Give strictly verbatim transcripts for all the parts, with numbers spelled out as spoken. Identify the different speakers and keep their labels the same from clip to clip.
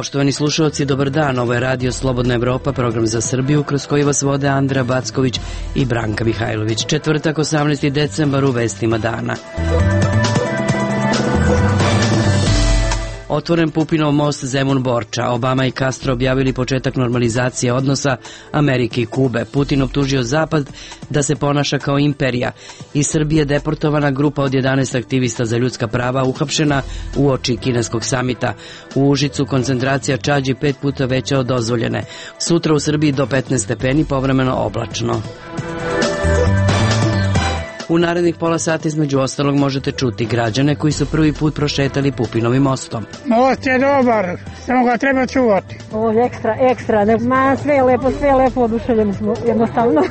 Speaker 1: Poštovani slušalci, dobar dan. Ovo je Radio Slobodna Evropa, program za Srbiju, kroz koji vas vode Andra Backović i Branka Mihajlović. Četvrtak, osamnaesti decembar, u vestima dana. Otvoren Pupinov most Zemun-Borča. Obama i Castro objavili početak normalizacije odnosa Amerike i Kube. Putin optužio Zapad da se ponaša kao imperija. Iz Srbije deportovana grupa od jedanaest aktivista za ljudska prava uhapšena uoči kineskog samita. U Užicu koncentracija čađi pet puta veća od dozvoljene. Sutra u Srbiji do petnaest stepeni, povremeno oblačno. U narednih pola sata između ostalog možete čuti građane koji su prvi put prošetali Pupinovim mostom.
Speaker 2: Most je dobar, samo ga treba čuvati.
Speaker 3: Ovo je ekstra, ekstra, ne, ma sve je lepo, sve je lepo, oduševljeni smo jednostavno.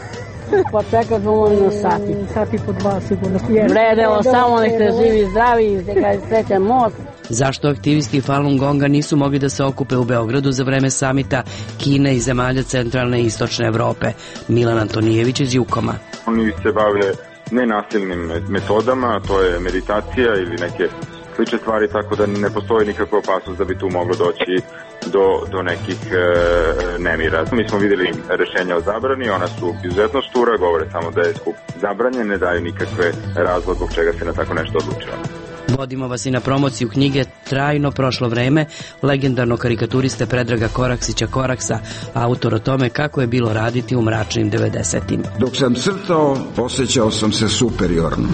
Speaker 4: Pa čekaj dovoljno sati.
Speaker 3: Sati po dva sigurno.
Speaker 4: Vredelo, samo nek te živi, zdravi, neka je srećan most.
Speaker 1: Zašto aktivisti Falun Gonga nisu mogli da se okupe u Beogradu za vreme samita Kine i zemalja centralne i istočne Evrope? Milan Antonijević iz Jukoma.
Speaker 5: Oni se bave nenasilnim metodama, to je meditacija ili neke slične stvari, tako da ne postoji nikakva opasnost da bi tu moglo doći do, do nekih e, nemira. Mi smo videli rešenja o zabrani, ona su izuzetno štura, govore samo da je skup zabranjen, ne daju nikakve razlog zbog čega se na tako nešto odlučilo.
Speaker 1: Vodimo vas i na promociju knjige Trajno prošlo vreme legendarnog karikaturiste Predraga Koraksića Koraksa, autor o tome kako je bilo raditi u mračnim devedesetim.
Speaker 6: Dok sam crtao, osjećao sam se superiorno.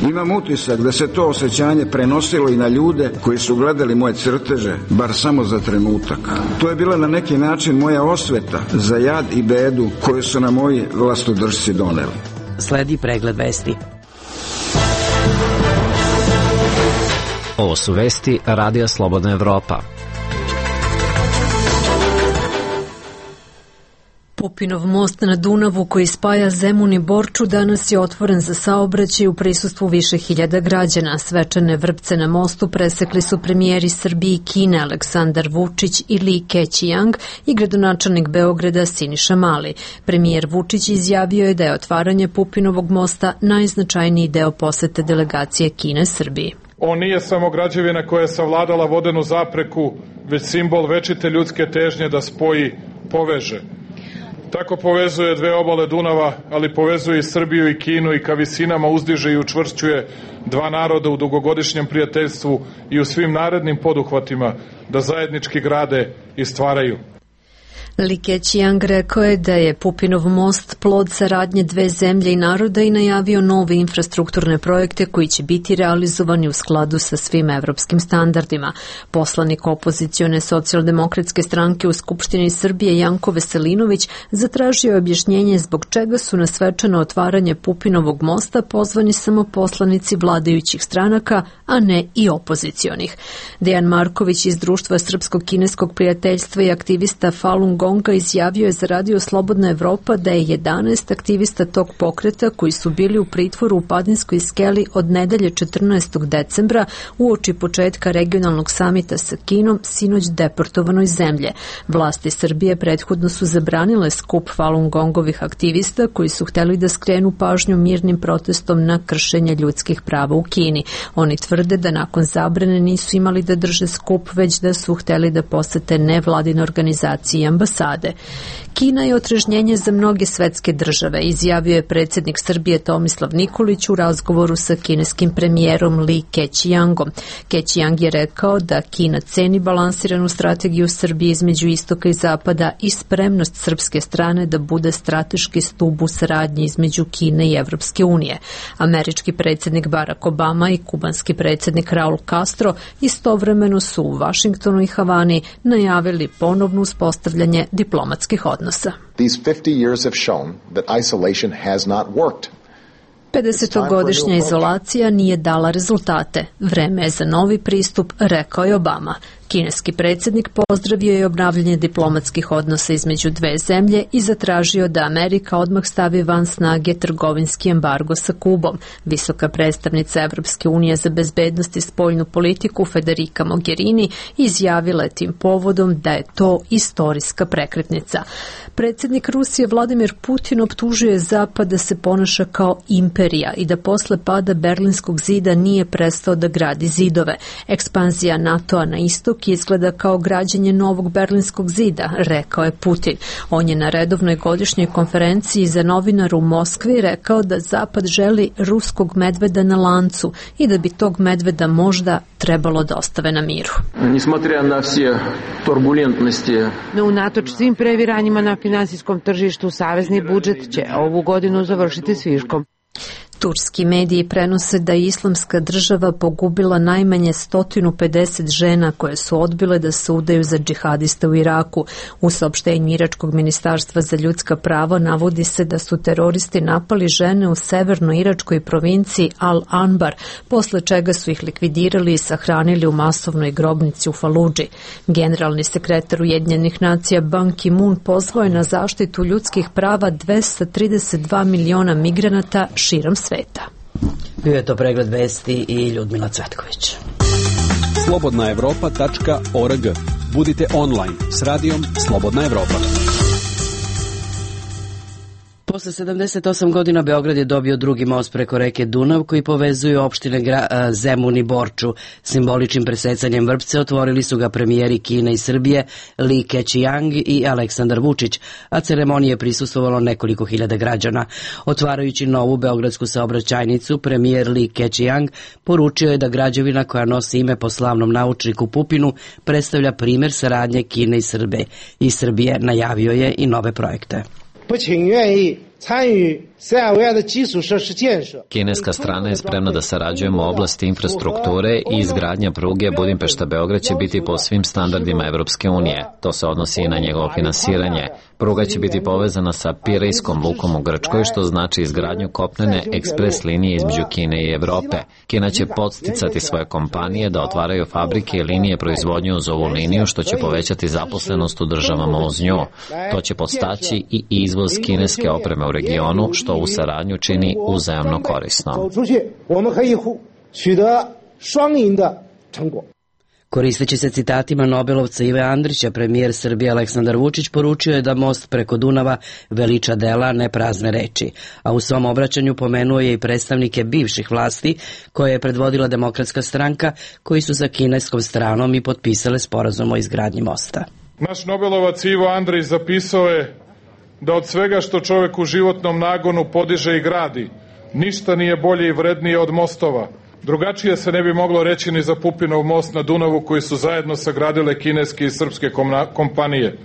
Speaker 6: Imam utisak da se to osjećanje prenosilo i na ljude koji su gledali moje crteže, bar samo za trenutak. To je bila na neki način moja osveta za jad i bedu koju su na moji vlastodržci doneli.
Speaker 1: Sledi pregled vesti.
Speaker 7: Ovo su vesti Radija Slobodna Evropa.
Speaker 8: Pupinov most na Dunavu koji spaja Zemun i Borču danas je otvoren za saobraćaj u prisustvu više hiljada građana. Svečane vrpce na mostu presekli su premijeri Srbije i Kine Aleksandar Vučić i Li Keqiang i gradonačelnik Beograda Siniša Mali. Premijer Vučić izjavio je da je otvaranje Pupinovog mosta najznačajniji deo posete delegacije Kine Srbiji.
Speaker 9: On nije samo građevina koja je savladala vodenu zapreku, već simbol večite ljudske težnje da spoji, poveže. Tako povezuje dve obale Dunava, ali povezuje i Srbiju i Kinu i ka visinama uzdiže i učvršćuje dva naroda u dugogodišnjem prijateljstvu i u svim narednim poduhvatima da zajednički grade i stvaraju.
Speaker 8: Li Keqiang rekao je da je Pupinov most plod saradnje dve zemlje i naroda i najavio nove infrastrukturne projekte koji će biti realizovani u skladu sa svim evropskim standardima. Poslanik opozicione socijaldemokratske stranke u Skupštini Srbije Janko Veselinović zatražio je objašnjenje zbog čega su na svečano otvaranje Pupinovog mosta pozvani samo poslanici vladajućih stranaka, a ne i opozicionih. Dejan Marković iz Društva srpsko-kineskog prijateljstva i aktivista Falun Gonga izjavio je za Radio Slobodna Evropa da je jedanaest aktivista tog pokreta koji su bili u pritvoru u Padinskoj skeli od nedelje četrnaestog decembra uoči početka regionalnog samita sa Kinom sinoć deportovano iz zemlje. Vlasti Srbije prethodno su zabranile skup Falun Gongovih aktivista koji su hteli da skrenu pažnju mirnim protestom na kršenje ljudskih prava u Kini. Oni tvrde da nakon zabrane nisu imali da drže skup, već da su hteli da posete nevladine organizacije i ambasade. Kina je otrežnjenje za mnoge svetske države, izjavio je predsjednik Srbije Tomislav Nikolić u razgovoru sa kineskim premijerom Li Keqiangom. Keqiang je rekao da Kina ceni balansiranu strategiju Srbije između istoka i zapada i spremnost srpske strane da bude strateški stub u saradnji između Kine i Evropske unije. Američki predsjednik Barack Obama i kubanski predsjednik Raul Castro istovremeno su u Vašingtonu i Havani najavili ponovno uspostavljanje diplomatskih odnosa.
Speaker 10: These fifty years have shown that isolation has not worked.
Speaker 8: pedesetogodišnja izolacija nije dala rezultate. Vreme je za novi pristup, rekao je Obama. Kineski predsjednik pozdravio je obnavljanje diplomatskih odnosa između dve zemlje i zatražio da Amerika odmah stavi van snage trgovinski embargo sa Kubom. Visoka predstavnica Evropske unije za bezbednost i spoljnu politiku Federica Mogherini izjavila je tim povodom da je to istorijska prekretnica. Predsjednik Rusije Vladimir Putin optužio je Zapad da se ponaša kao imperija i da posle pada Berlinskog zida nije prestao da gradi zidove. Ekspanzija NATO-a na istoku istok izgleda kao građenje novog Berlinskog zida, rekao je Putin. On je na redovnoj godišnjoj konferenciji za novinare u Moskvi rekao da Zapad želi ruskog medveda na lancu i da bi tog medveda možda trebalo da ostave na miru.
Speaker 11: No, unatoč svim previranjima na finansijskom tržištu, savezni budžet će ovu godinu završiti s viškom.
Speaker 8: Turski mediji prenose da je Islamska država pogubila najmanje sto pedeset žena koje su odbile da se udaju za džihadiste u Iraku. U saopštenju Iračkog ministarstva za ljudska prava navodi se da su teroristi napali žene u severnoj iračkoj provinciji Al-Anbar, posle čega su ih likvidirali i sahranili u masovnoj grobnici u Faludži. Generalni sekretar Ujedinjenih nacija Ban Ki-moon pozvao je na zaštitu ljudskih prava dvesta trideset dva miliona migranata širom sveta.
Speaker 1: Bio je to pregled vesti i Ljudmila Cvetković.
Speaker 12: slobodna evropa tačka org. Budite online s radijom Slobodna Evropa.
Speaker 1: Posle sedamdeset osam godina Beograd je dobio drugi most preko reke Dunav koji povezuje opštine Gra- Zemun i Borču. Simboličnim presecanjem vrpce otvorili su ga premijeri Kine i Srbije Li Keqiang i Aleksandar Vučić, a ceremonije je prisustvovalo nekoliko hiljada građana. Otvarajući novu beogradsku saobraćajnicu, premijer Li Keqiang poručio je da građevina koja nosi ime po slavnom naučniku Pupinu predstavlja primer saradnje Kine i Srbije. I Srbije najavio je i nove projekte.
Speaker 7: Kineska strana je spremna da sarađujemo u oblasti infrastrukture i izgradnja pruge Budimpešta-Beograd će biti po svim standardima Evropske unije. To se odnosi i na njegovo finansiranje. Pruga će biti povezana sa Pirejskom lukom u Grčkoj, što znači izgradnju kopnene ekspres linije između Kine i Evrope. Kina će podsticati svoje kompanije da otvaraju fabrike i linije proizvodnje uz ovu liniju, što će povećati zaposlenost u državama uz nju. To će podstaći i izvoz kineske opreme u regionu, što u saradnju čini uzajamno korisno.
Speaker 1: Koristeći se citatima Nobelovca Ive Andrića, premijer Srbije Aleksandar Vučić poručio je da most preko Dunava veliča dela, ne prazne reči. A u svom obraćanju pomenuo je i predstavnike bivših vlasti koje je predvodila Demokratska stranka, koji su sa kineskom stranom i potpisale sporazum o izgradnji mosta.
Speaker 9: Naš Nobelovac Ivo Andrić zapisao je da od svega što čovek u životnom nagonu podiže i gradi, ništa nije bolje i vrednije od mostova. Drugačije se ne bi moglo reći ni za Pupinov most na Dunavu koji su zajedno sagradile kineske i srpske kompanije.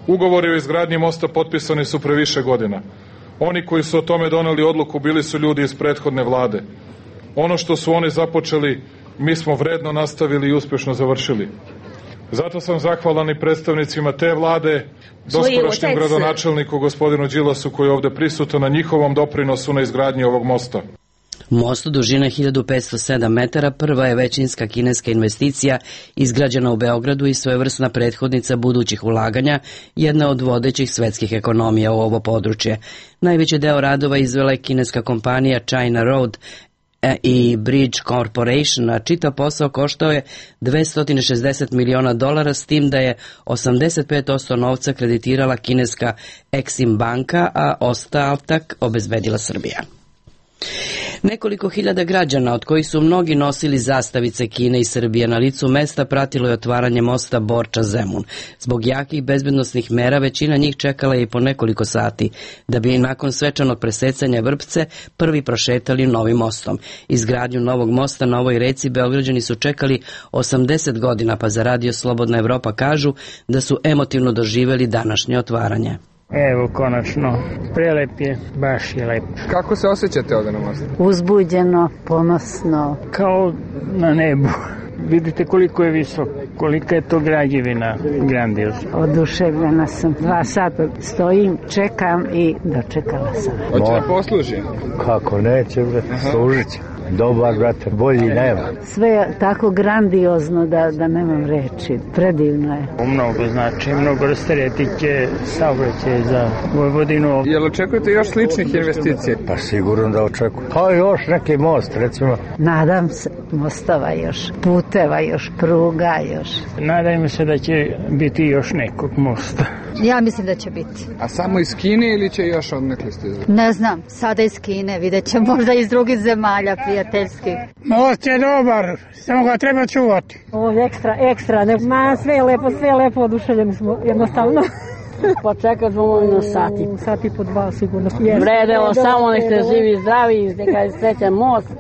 Speaker 9: Ugovori o izgradnji mosta potpisani su pre više godina. Oni koji su o tome doneli odluku bili su ljudi iz prethodne vlade. Ono što su oni započeli, mi smo vredno nastavili i uspešno završili. Zato sam zahvalan i predstavnicima te vlade, doskorašnjem gradonačelniku gospodinu Đilasu koji je ovde prisutan na njihovom doprinosu na izgradnji ovog mosta.
Speaker 1: Most dužine hiljadu petsto sedam metara prva je većinska kineska investicija izgrađena u Beogradu i svojevrsna prethodnica budućih ulaganja, jedna od vodećih svetskih ekonomija u ovo područje. Najveći deo radova izvela je kineska kompanija China Road i Bridge Corporation, a čitav posao koštao je dvesta šezdeset miliona dolara, s tim da je osamdeset pet posto novca kreditirala kineska Exim banka, a ostatak obezbedila Srbija. Nekoliko hiljada građana, od kojih su mnogi nosili zastavice Kine i Srbije, na licu mesta pratilo je otvaranje mosta Borča-Zemun. Zbog jakih bezbednosnih mera većina njih čekala je i po nekoliko sati, da bi nakon svečanog presecanja vrpce prvi prošetali novim mostom. Izgradnju novog mosta na ovoj reci Beograđani su čekali osamdeset godina, pa za Radio Slobodna Evropa kažu da su emotivno doživeli današnje otvaranje.
Speaker 2: Evo, konačno, prelep je, baš je lep.
Speaker 13: Kako se osjećate ovdje na mostu?
Speaker 3: Uzbuđeno, ponosno.
Speaker 2: Kao na nebu. Vidite koliko je visok, kolika je to građevina grandiozna.
Speaker 3: Oduševljena sam. Dva sata stojim, čekam i dočekala sam.
Speaker 13: Hoće da posluži?
Speaker 14: Kako neće, služit će. Dobar, brate, bolji nema.
Speaker 3: Sve je tako grandiozno da, da nemam reči. Predivno je.
Speaker 2: Mnogo znači, mnogo rasteretike saobraćaj za Vojvodinu.
Speaker 13: Jel očekujete još sličnih investicija?
Speaker 14: Pa sigurno da očekujem. Pa još neki most, recimo.
Speaker 3: Nadam se mostova još, puteva još, pruga još.
Speaker 2: Nadajmo se da će biti još nekog mosta.
Speaker 15: Ja mislim da će biti.
Speaker 13: A samo iz Kine ili će još odnekli stizati?
Speaker 15: Ne znam, sada iz Kine, vidjet će možda iz drugih zemalja prijateljskih.
Speaker 2: Most je dobar, samo ga treba čuvati.
Speaker 3: Ovo je ekstra, ekstra, ne, ma sve je lepo, sve je lepo, oduševljeni smo jednostavno.
Speaker 4: Pa čekat ćemo na sati.
Speaker 3: Sati po dva sigurno.
Speaker 4: Vredelo, samo nek ste živi i zdravi, neka je srećan most.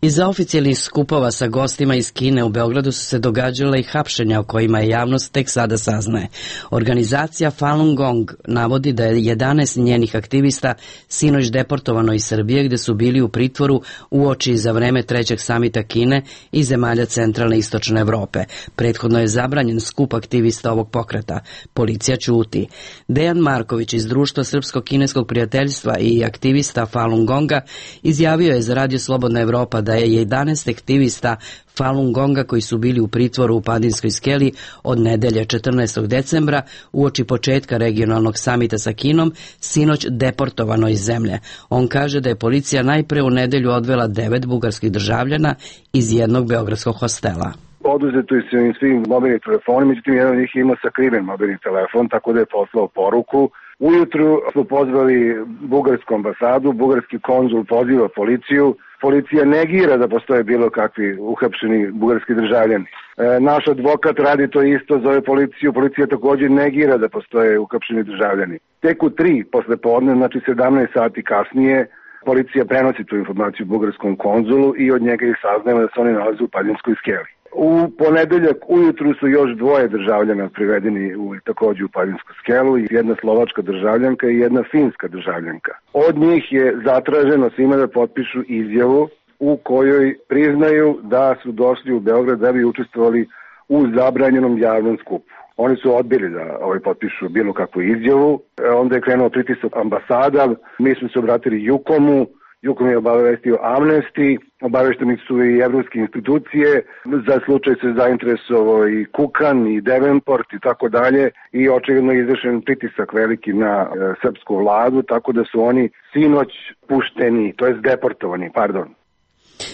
Speaker 1: Iza oficijalnih skupova sa gostima iz Kine u Beogradu su se događale i hapšenja o kojima je javnost tek sada saznaje. Organizacija Falun Gong navodi da je jedanaest njenih aktivista sinoć deportovano iz Srbije gde su bili u pritvoru uoči za vreme trećeg samita Kine i zemalja centralne i istočne Evrope. Prethodno je zabranjen skup aktivista ovog pokreta. Policija ćuti. Dejan Marković iz Društva Srpsko-kineskog prijateljstva i aktivista Falun Gonga izjavio je za Radio Slobodna Evropa da je jedanaest aktivista Falun Gonga koji su bili u pritvoru u Padinskoj skeli od nedelje četrnaestog decembra uoči početka regionalnog samita sa Kinom sinoć deportovano iz zemlje. On kaže da je policija najpre u nedelju odvela devet bugarskih državljana iz jednog beogradskog hostela.
Speaker 16: Oduzeto su im svi mobilni telefoni, međutim jedan od njih ima sakriven mobilni telefon, tako da je poslao poruku. Ujutru smo pozvali bugarsku ambasadu, bugarski konzul poziva policiju. Policija negira da postoje bilo kakvi uhapšeni bugarski državljani. E, naš advokat radi to isto, zove policiju, policija također negira da postoje uhapšeni državljani. Tek u tri posle podne, znači sedamnaest sati kasnije, policija prenosi tu informaciju bugarskom konzulu i od njega ih saznajemo da se oni nalaze u Padinskoj skeli. U ponedeljak ujutru su još dvoje državljana privedeni u, također u Padinsku skelu, jedna slovačka državljanka i jedna finska državljanka. Od njih je zatraženo svima da potpišu izjavu u kojoj priznaju da su došli u Beograd da bi učestvovali u zabranjenom javnom skupu. Oni su odbili da ovaj potpišu bilo kakvu izjavu, onda je krenuo pritisak ambasada, mi smo se obratili Jukomu, Jukom je obavestio Amnesty, obavešteni su i evropske institucije, za slučaj se zainteresovao i Kukan i Devenport i tako dalje i očigledno je izvršen pritisak veliki na e, srpsku vladu, tako da su oni sinoć pušteni, to jest deportovani, pardon.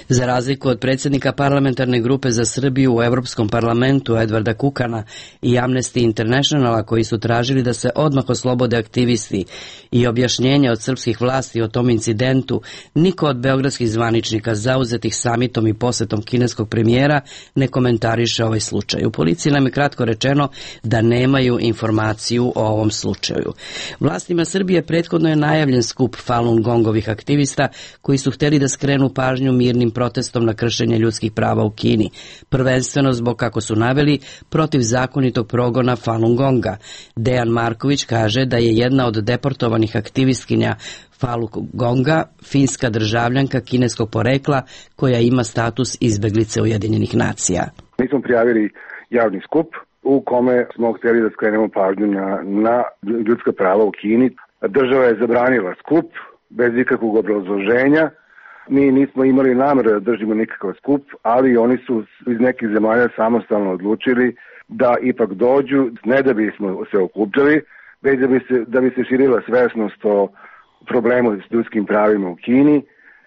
Speaker 1: Za razliku od predsjednika parlamentarne grupe za Srbiju u Evropskom parlamentu Edvarda Kukana i Amnesty Internationala koji su tražili da se odmah oslobode aktivisti i objašnjenja od srpskih vlasti o tom incidentu, niko od beogradskih zvaničnika zauzetih samitom i posetom kineskog premijera ne komentariše ovaj slučaj. U policiji nam je kratko rečeno da nemaju informaciju o ovom slučaju. Vlastima Srbije prethodno je najavljen skup Falun Gongovih aktivista koji su hteli da skrenu pažnju mirnim protestom na kršenje ljudskih prava u Kini, prvenstveno zbog, kako su naveli, protivzakonitog progona Falun Gonga. Dejan Marković kaže da je jedna od deportovanih aktivistkinja Falun Gonga finska državljanka kineskog porekla koja ima status izbeglice Ujedinjenih nacija.
Speaker 16: Mi smo prijavili javni skup u kome smo htjeli da skrenemo pažnju na, na ljudska prava u Kini. Država je zabranila skup bez ikakvog obrazloženja. Mi nismo imali nameru da držimo nikakav skup, ali oni su iz nekih zemalja samostalno odlučili da ipak dođu, ne da bismo se okupljali, već da bi se, da bi se širila svesnost o problemu s ljudskim pravima u Kini,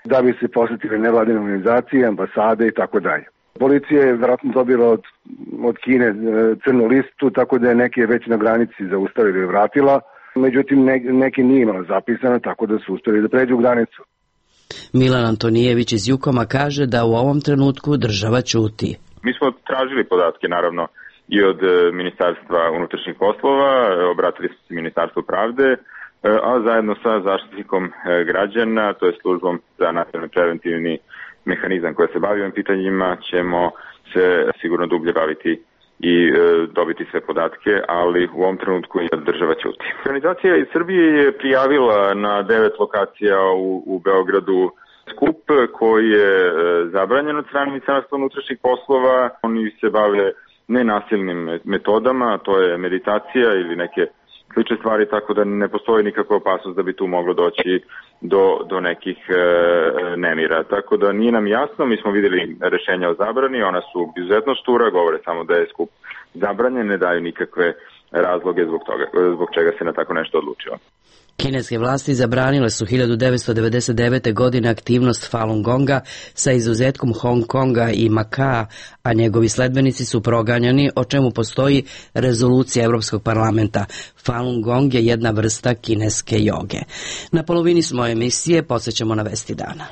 Speaker 16: da bi se posjetile nevladine organizacije, ambasade i tako dalje. Policija je vjerojatno dobila od, od Kine crnu listu, tako da je neke već na granici zaustavila i vratila, međutim ne, neki nije imala zapisano, tako da su uspjeli da pređu granicu.
Speaker 1: Milan Antonijević iz Jukoma kaže da u ovom trenutku država ćuti.
Speaker 5: Mi smo tražili podatke, naravno, i od Ministarstva unutrašnjih poslova, obratili smo se Ministarstvu pravde, a zajedno sa zaštitnikom građana, to je službom za nacionalni preventivni mehanizam koja se bavi ovim pitanjima, ćemo se sigurno dublje baviti i e, dobiti sve podatke, ali u ovom trenutku je država ćuti. Organizacija iz Srbije je prijavila na devet lokacija u, u Beogradu skup koji je e, zabranjen od strane Ministarstva unutrašnjih poslova. Oni se bave nenasilnim metodama, to je meditacija ili neke slične stvari, tako da ne postoji nikakva opasnost da bi tu moglo doći do, do nekih e, nemira. Tako da nije nam jasno, mi smo vidjeli rešenja o zabrani, ona su izuzetno štura, govore samo da je skup zabranjen, ne daju nikakve razloge zbog toga, zbog čega se na tako nešto odlučilo.
Speaker 1: Kineske vlasti zabranile su hiljadu devetsto devedeset devete. godine aktivnost Falun Gonga sa izuzetkom Hong Konga i Makaa, a njegovi sledbenici su proganjani, o čemu postoji rezolucija Evropskog parlamenta. Falun Gong je jedna vrsta kineske joge. Na polovini smo emisije, podsjećamo na vesti dana.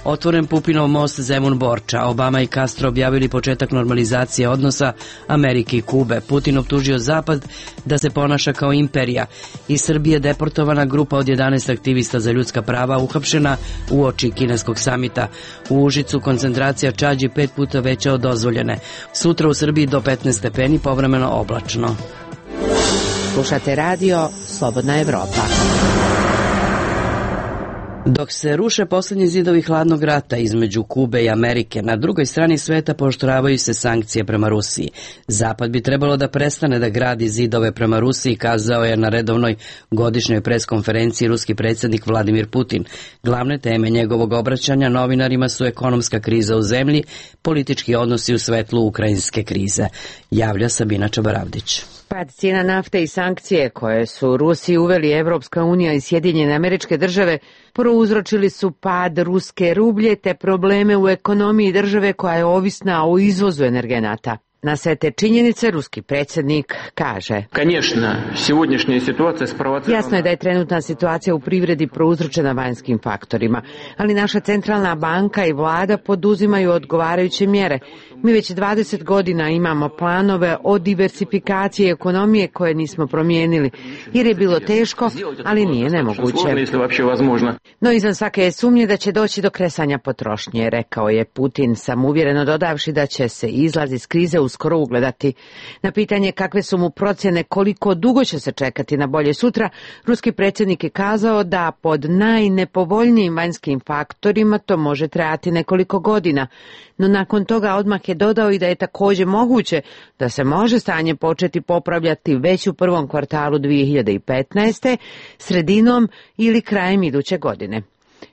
Speaker 1: Otvoren Pupinov most Zemun-Borča. Obama i Castro objavili početak normalizacije odnosa Amerike i Kube. Putin optužio Zapad da se ponaša kao imperija. Iz Srbije deportovana grupa od jedanaest aktivista za ljudska prava uhapšena uoči kineskog samita. U Užicu koncentracija čađi pet puta veća od dozvoljene. Sutra u Srbiji do petnaest stepeni, povremeno oblačno.
Speaker 11: Slušate radio Slobodna Evropa.
Speaker 1: Dok se ruše posljednji zidovi hladnog rata između Kube i Amerike, na drugoj strani sveta pooštravaju se sankcije prema Rusiji. Zapad bi trebalo da prestane da gradi zidove prema Rusiji, kazao je na redovnoj godišnjoj preskonferenciji ruski predsjednik Vladimir Putin. Glavne teme njegovog obraćanja novinarima su ekonomska kriza u zemlji, politički odnosi u svetlu ukrajinske krize. Javlja Sabina Čabaravdić.
Speaker 11: Pad cijena nafte i sankcije koje su Rusiji uveli Evropska unija i Sjedinjene Američke Države prouzročili su pad ruske rublje te probleme u ekonomiji države koja je ovisna o izvozu energenata. Na sve te činjenice ruski predsjednik kaže: Jasno je da je trenutna situacija u privredi prouzročena vanjskim faktorima, ali naša centralna banka i vlada poduzimaju odgovarajuće mjere. Mi već dvadeset godina imamo planove o diversifikaciji ekonomije koje nismo promijenili, jer je bilo teško, ali nije nemoguće. No izvan svake je sumnje da će doći do kresanja potrošnje, rekao je Putin, samouvjereno dodavši da će se izlaz iz krize uskoro ugledati. Na pitanje kakve su mu procjene koliko dugo će se čekati na bolje sutra, ruski predsjednik je kazao da pod najnepovoljnijim vanjskim faktorima to može trajati nekoliko godina, no nakon toga odmah je dodao i da je također moguće da se može stanje početi popravljati već u prvom kvartalu dvije hiljade petnaeste. sredinom ili krajem iduće godine.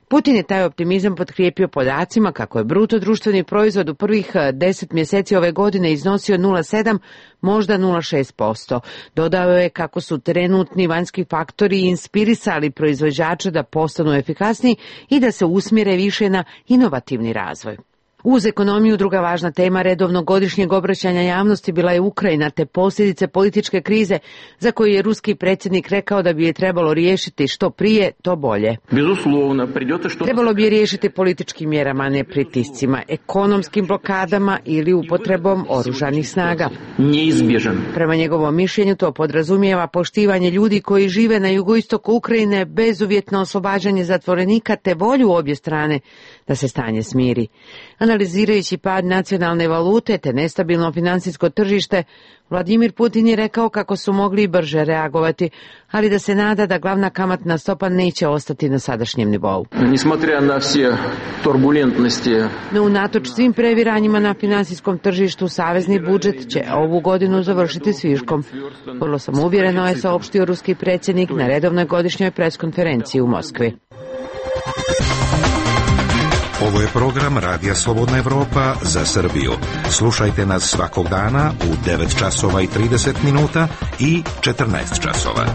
Speaker 11: Putin je taj optimizam potkrijepio podacima kako je bruto društveni proizvod u prvih deset mjeseci ove godine iznosio nula zarez sedam, možda nula zarez šest posto. Dodao je kako su trenutni vanjski faktori inspirisali proizvođače da postanu efikasniji i da se usmjere više na inovativni razvoj. Uz ekonomiju druga važna tema redovnog godišnjeg obraćanja javnosti bila je Ukrajina te posljedice političke krize za koju je ruski predsjednik rekao da bi je trebalo riješiti što prije, to bolje. Trebalo bi je riješiti političkim mjerama, a ne pritiscima, ekonomskim blokadama ili upotrebom oružanih snaga. Prema njegovom mišljenju to podrazumijeva poštivanje ljudi koji žive na jugoistoku Ukrajine, bezuvjetno oslobađanje zatvorenika te volju obje strane da se stanje smiri. Analizirajući pad nacionalne valute te nestabilno financijsko tržište, Vladimir Putin je rekao kako su mogli i brže reagovati, ali da se nada da glavna kamatna stopa neće ostati na sadašnjem nivou. No unatoč svim previranjima na financijskom tržištu, savezni budžet će ovu godinu završiti s viškom. Vrlo sam uvjereno je saopštio ruski predsjednik na redovnoj godišnjoj preskonferenciji u Moskvi.
Speaker 17: Ovo je program Radija Slobodna Evropa za Srbiju. Slušajte nas svakog dana u devet časova i trideset minuta i četrnaest časova.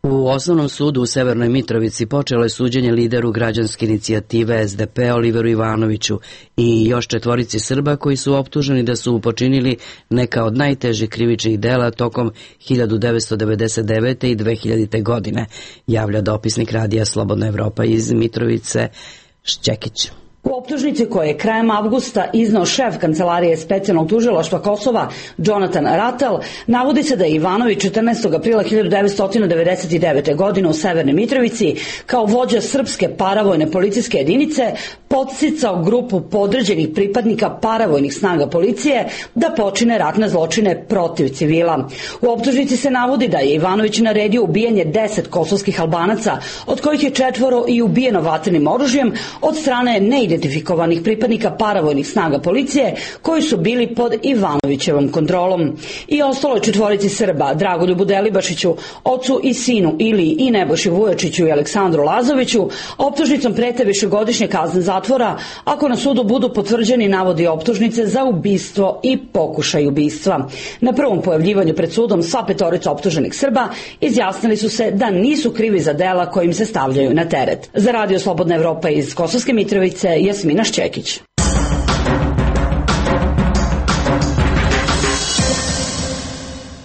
Speaker 1: U Osnovnom sudu u Severnoj Mitrovici počelo je suđenje lideru građanske inicijative S D P Oliveru Ivanoviću i još četvorici Srba koji su optuženi da su počinili neka od najtežih krivičnih dela tokom hiljadu devetsto devedeset devete i dve hiljadite. godine, javlja dopisnik Radija Slobodna Evropa iz Mitrovice Šćekić.
Speaker 18: U optužnici koje je krajem avgusta iznao šef Kancelarije specijalnog tužilaštva Kosova, Jonathan Rattel, navodi se da je Ivanović četrnaestog aprila hiljadu devetsto devedeset devete. godine u Severnoj Mitrovici kao vođa srpske paravojne policijske jedinice podsticao grupu podređenih pripadnika paravojnih snaga policije da počine ratne zločine protiv civila. U optužnici se navodi da je Ivanović naredio ubijanje deset kosovskih Albanaca, od kojih je četvoro i ubijeno vatrenim oružjem od strane neidentifikovanih pripadnika paravojnih snaga policije koji su bili pod Ivanovićevom kontrolom. I ostalo je četvorici Srba, Dragoljubu Delibašiću, ocu i sinu Iliji i Nebojši Vujačiću i Aleksandru Lazoviću, optužnicom prete višegodišnje kazne zatvora zatvora ako na sudu budu potvrđeni navodi optužnice za ubistvo i pokušaj ubistva. Na prvom pojavljivanju pred sudom sva petorica optuženih Srba izjasnili su se da nisu krivi za dela kojim se stavljaju na teret. Za Radio Slobodna Evropa iz Kosovske Mitrovice, Jasmina Šćekić.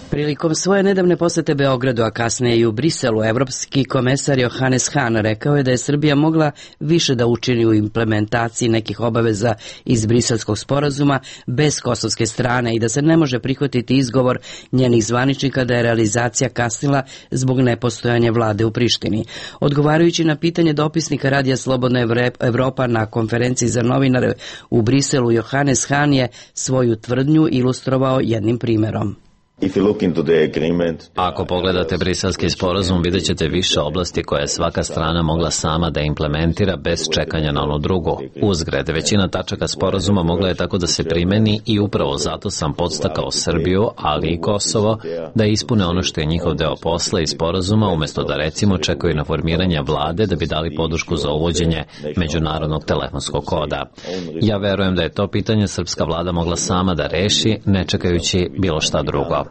Speaker 1: Prilikom svoje nedavne posete Beogradu, a kasnije i u Briselu, evropski komesar Johannes Hahn rekao je da je Srbija mogla više da učini u implementaciji nekih obaveza iz Briselskog sporazuma bez kosovske strane i da se ne može prihvatiti izgovor njenih zvaničnika da je realizacija kasnila zbog nepostojanja vlade u Prištini. Odgovarajući na pitanje dopisnika Radija Slobodna Evropa na konferenciji za novinare u Briselu, Johannes Hahn je svoju tvrdnju ilustrovao jednim primerom.
Speaker 7: Ako pogledate briselski sporazum, vidjet ćete više oblasti koje je svaka strana mogla sama da implementira bez čekanja na onu drugu. Uzgred, većina tačaka sporazuma mogla je tako da se primeni i upravo zato sam podstakao Srbiju, ali i Kosovo, da ispune ono što je njihov deo posla i sporazuma, umesto da recimo čekaju na formiranje vlade da bi dali podršku za uvođenje međunarodnog telefonskog koda. Ja verujem da je to pitanje srpska vlada mogla sama da reši, ne čekajući bilo šta drugo.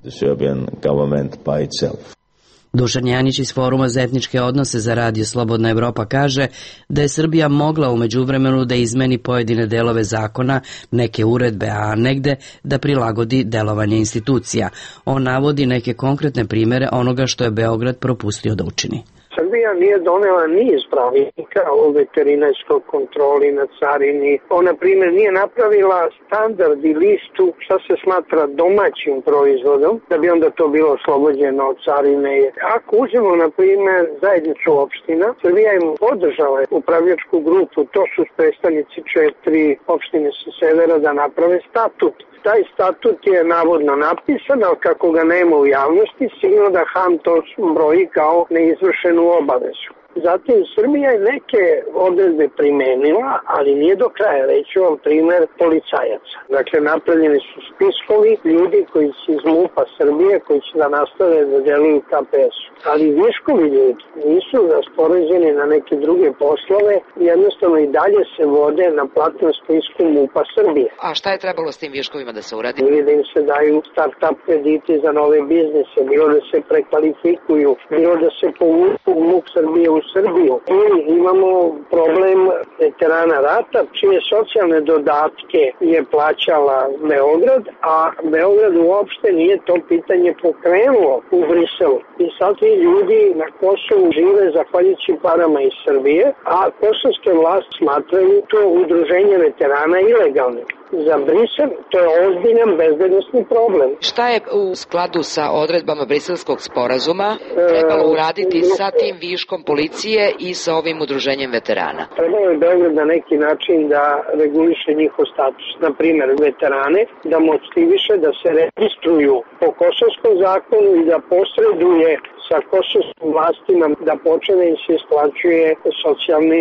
Speaker 1: Dušan Janjić iz Foruma za etničke odnose za Radio Slobodna Evropa kaže da je Srbija mogla u međuvremenu da izmeni pojedine delove zakona, neke uredbe, a negde da prilagodi delovanje institucija. On navodi neke konkretne primere onoga što je Beograd propustio da učini.
Speaker 19: Srbija nije donela niz pravilnika o veterinarskoj kontroli na carini. Ona, na primjer, nije napravila standard i listu šta se smatra domaćim proizvodom, da bi onda to bilo oslobođeno od carine. Ako uzmemo, na primjer, zajednicu opština, Srbija im podržala upravljačku grupu, to su predstavnici četiri opštine sa severa da naprave statut. Taj statut je navodno napisan, ali kako ga nema u javnosti, sigurno da Hahn to broji kao neizvršenu obavezu. Zatim, Srbija je neke odredbe primenila, ali nije do kraja. Reći vam primjer policajaca. Dakle, napravljeni su spiskovi ljudi koji su iz MUP-a Srbije, koji će da nastave da deluju K P S-u. Ali viškovi ljudi nisu raspoređeni na neke druge poslove, jednostavno i dalje se vode na platnom spisku MUP-a Srbije.
Speaker 11: A šta je trebalo s tim viškovima da se uradi?
Speaker 19: Ili da im se daju start-up krediti za nove biznise, bilo da se prekvalifikuju, bilo da se povuku MUP Srbije u Srbiju. I imamo problem veterana rata, čije socijalne dodatke je plaćala Beograd, a Beograd uopšte nije to pitanje pokrenuo u Briselu. I sad ti ljudi na Kosovu žive zahvaljujući parama iz Srbije, a kosovske vlasti smatraju to udruženje veterana ilegalnim. Za Brisel to je ozbiljan bezbednosni problem.
Speaker 11: Šta je u skladu sa odredbama Briselskog sporazuma trebalo uraditi sa tim viškom policije i sa ovim udruženjem veterana?
Speaker 19: Trebalo je Beograd na neki način da reguliše njihov status. Na primjer, veterane da motiviše da se registruju po kosovskom zakonu i da posreduje sa kosovskim vlastima da počne im se isplaćuje socijalne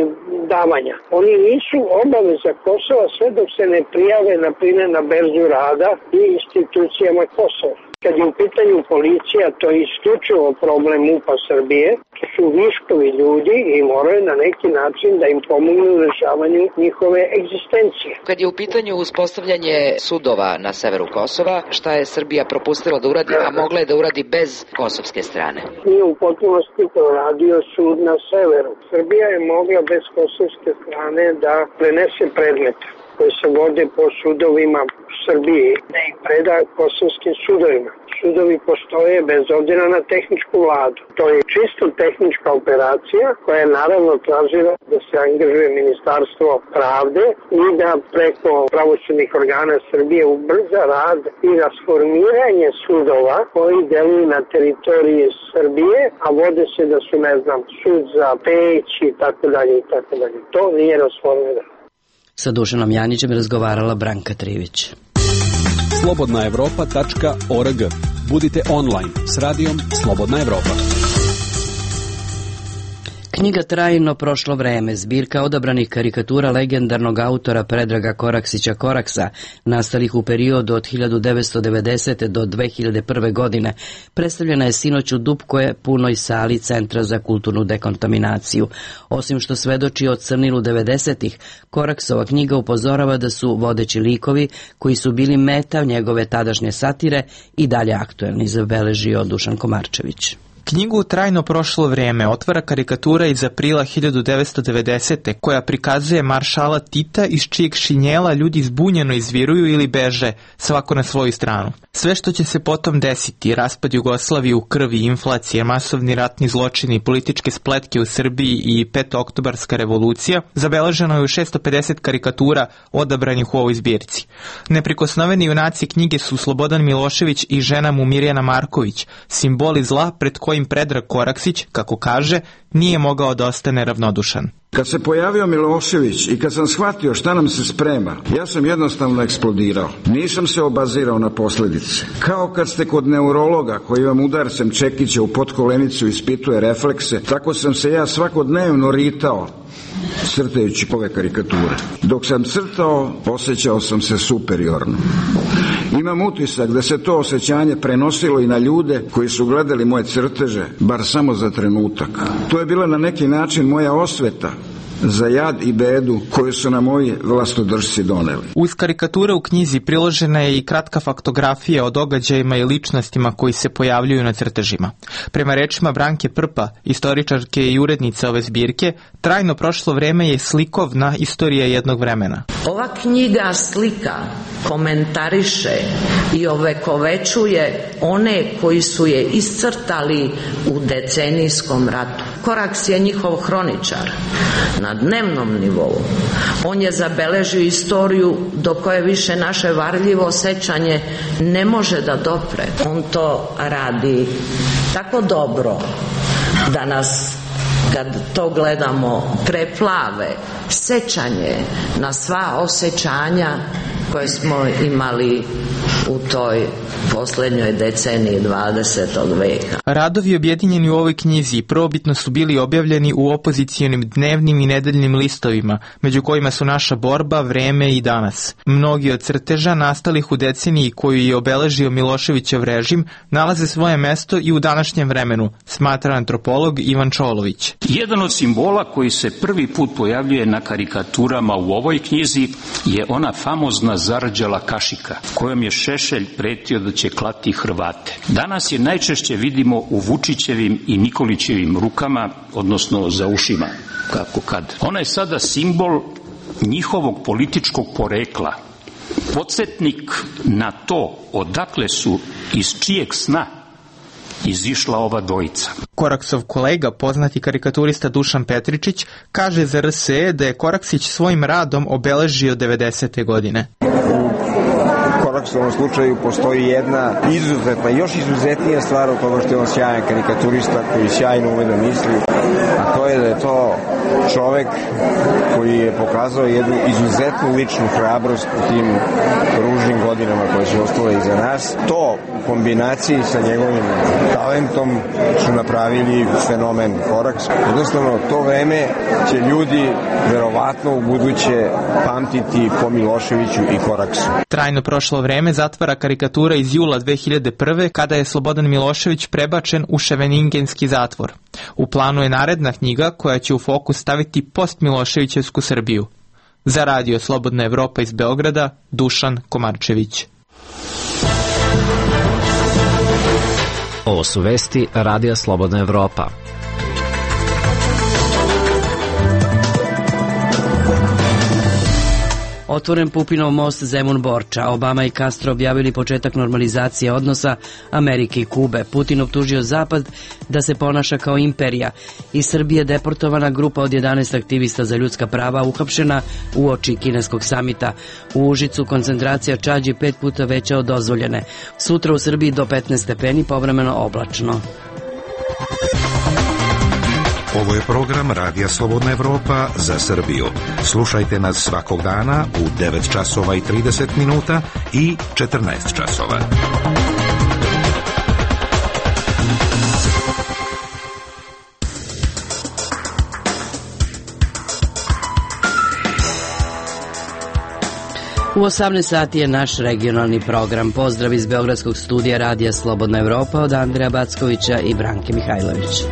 Speaker 19: davanja. Oni nisu obaveza Kosova sve dok se ne prijave, na primjer, na berzu rada i institucijama Kosova. Kad je u pitanju policija, to je isključivo problem MUP-a Srbije, to su viškovi ljudi i moraju na neki način da im pomognu u rešavanju njihove egzistencije.
Speaker 11: Kad je u pitanju uspostavljanje sudova na severu Kosova, šta je Srbija propustila da uradi, a mogla je da uradi bez kosovske strane?
Speaker 19: Nije u potpunosti proradio sud na severu. Srbija je mogla bez kosovske strane da prenese predmete koje se vode po sudovima u Srbiji, da ih preda kosovskim sudovima. Sudovi postoje bez obzira na tehničku vladu. To je čisto tehnička operacija koja je naravno tražila da se angažuje Ministarstvo pravde i da preko pravosudnih organa Srbije ubrza rad i rasformiranje sudova koji deluju na teritoriji Srbije, a vode se da su, ne znam, sud za Peć i tako dalje i tako dalje. To nije rasformirano.
Speaker 1: Sa Dušanom Janićem razgovarala Branka Trivić.
Speaker 12: slobodna evropa tačka org. Budite online s radijom Slobodna Evropa.
Speaker 1: Knjiga Trajno prošlo vreme, zbirka odabranih karikatura legendarnog autora Predraga Koraksića Koraksa, nastalih u periodu od hiljadu devetsto devedesete. do dve hiljade prve. godine, predstavljena je sinoć u Dupkoj punoj sali Centra za kulturnu dekontaminaciju. Osim što svedoči o crnilu devedesetih, Koraksova knjiga upozorava da su vodeći likovi, koji su bili meta njegove tadašnje satire, i dalje aktuelni, zabeležio Dušan Komarčević.
Speaker 20: Knjigu Trajno prošlo vrijeme otvara karikatura iz aprila hiljadu devetsto devedesete. koja prikazuje maršala Tita iz čijeg šinjela ljudi zbunjeno izviruju ili beže, svako na svoju stranu. Sve što će se potom desiti, raspad Jugoslavije u krvi, inflacije, masovni ratni zločini, političke spletke u Srbiji i petooktobarska revolucija, zabeleženo je u šesto pedeset karikatura odabranih u ovoj zbirci. Neprikosnoveni junaci knjige su Slobodan Milošević i žena mu Mirjana Marković, simboli zla pred kojim Predrag Koraksić, kako kaže, nije mogao da ostane ravnodušan.
Speaker 6: Kad se pojavio Milošević i kad sam shvatio šta nam se sprema, ja sam jednostavno eksplodirao. Nisam se obazirao na posljedice. Kao kad ste kod neurologa koji vam udarcem čekića u potkolenicu ispituje reflekse, tako sam se ja svakodnevno ritao crtajući ove karikature. Dok sam crtao, osjećao sam se superiorno. Imam utisak da se to osjećanje prenosilo i na ljude koji su gledali moje crteže, bar samo za trenutak. To je bila na neki način moja osveta za jad i bedu koju su nam moji vlastodržci doneli.
Speaker 20: Uz karikature u knjizi priložena je i kratka faktografija o događajima i ličnostima koji se pojavljuju na crtežima. Prema rečima Branke Prpa, istoričarke i urednice ove zbirke, Trajno prošlo vreme je slikovna istorija jednog vremena.
Speaker 21: Ova knjiga slika, komentariše i ovekovećuje one koji su je iscrtali u decenijskom ratu. Koraks je njihov hroničar na dnevnom nivou. On je zabeležio istoriju do koje više naše varljivo sećanje ne može da dopre. On to radi tako dobro da nas, kad to gledamo, preplave sećanje na sva osjećanja koje smo imali u toj posljednjoj deceniji dvadesetog veka.
Speaker 20: Radovi objedinjeni u ovoj knjizi prvobitno su bili objavljeni u opozicijonim dnevnim i nedeljnim listovima, među kojima su Naša borba, Vreme i Danas. Mnogi od crteža nastalih u deceniji koju je obeležio Miloševićev režim nalaze svoje mesto i u današnjem vremenu, smatra antropolog Ivan Čolović.
Speaker 22: Jedan od simbola koji se prvi put pojavljuje na karikaturama u ovoj knjizi je ona famozna zarđala kašika, kojom je Šešelj pretio da će klati Hrvate. Danas je najčešće vidimo u Vučićevim i Nikolićevim rukama, odnosno za ušima, kako kad. Ona je sada simbol njihovog političkog porekla, podsjetnik na to odakle su, iz čijeg sna izišla ova dvojica.
Speaker 20: Koraksov kolega, poznati karikaturista Dušan Petričić, kaže za R S E da je Koraksić svojim radom obeležio devedesete godine.
Speaker 23: U Koraksovom slučaju postoji jedna izuzetna, još izuzetnija stvar od toga što je on sjajan karikaturista koji sjajno ume da misli, a to je da je to čovek koji je pokazao jednu izuzetnu ličnu hrabrost u tim ružnim godinama koje su ostale iza nas. To u kombinaciji sa njegovim talentom su napravili fenomen Koraks. Jednostavno, to vreme će ljudi verovatno u buduće pamtiti po Miloševiću i Koraksu.
Speaker 20: Trajno prošlo vreme zatvara karikatura iz jula dve hiljade prve. kada je Slobodan Milošević prebačen u Ševeningenski zatvor. U planu je naredna knjiga koja će u fokus staviti post-Miloševićevsku Srbiju. Za radio Slobodna Evropa iz Beograda, Dušan Komarčević.
Speaker 7: Ovo su vesti Radija Slobodna Evropa.
Speaker 1: Otvoren Pupinov most Zemun-Borča. Obama i Castro objavili početak normalizacije odnosa Amerike i Kube. Putin optužio Zapad da se ponaša kao imperija. Iz Srbije deportovana grupa od jedanaest aktivista za ljudska prava uhapšena uoči kineskog samita. U Užicu koncentracija čađi pet puta veća od dozvoljene. Sutra u Srbiji do petnaest stepeni, povremeno oblačno.
Speaker 17: Ovo je program Radija Slobodna Evropa za Srbiju. Slušajte nas svakog dana u devet časova i trideset minuta i četrnaest časova.
Speaker 1: U osamnaest sati je naš regionalni program. Pozdrav iz Beogradskog studija Radija Slobodna Evropa od Andreja Backovića i Branke Mihajlović.